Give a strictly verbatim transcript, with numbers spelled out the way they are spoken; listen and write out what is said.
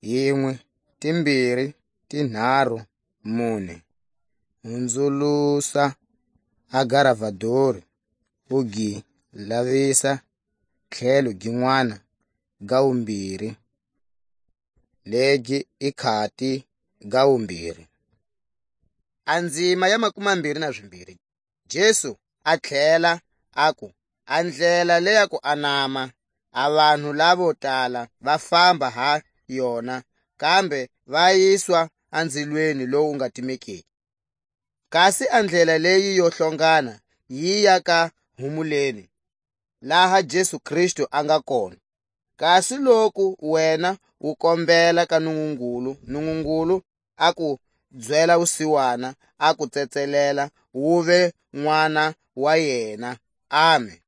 yinwe, timbiri, tinharu, mune. Hunzulusa a garavadori, u gi lavisa tlhelo gin'wana ga wumbiri, legi i khati ga wumbiri. A ndzima ya makumambiri na zimbiri. Jesu a tlhela aku, a ndlela le ya ku anama, a vanhu lavo tala va famba ha yona, kambe va yiswa a nzilweni lowu nga timekiki. Kasi a ndlela leyi yo hlongana yi ya ka humuleni, laha Jesu Kristu a nga kona. Kasi loku wena u kombela ka Nungungulu, Nungungulu a ku byela wusiwana, a ku tsetselela, wuve n'wana wa yena. Amen.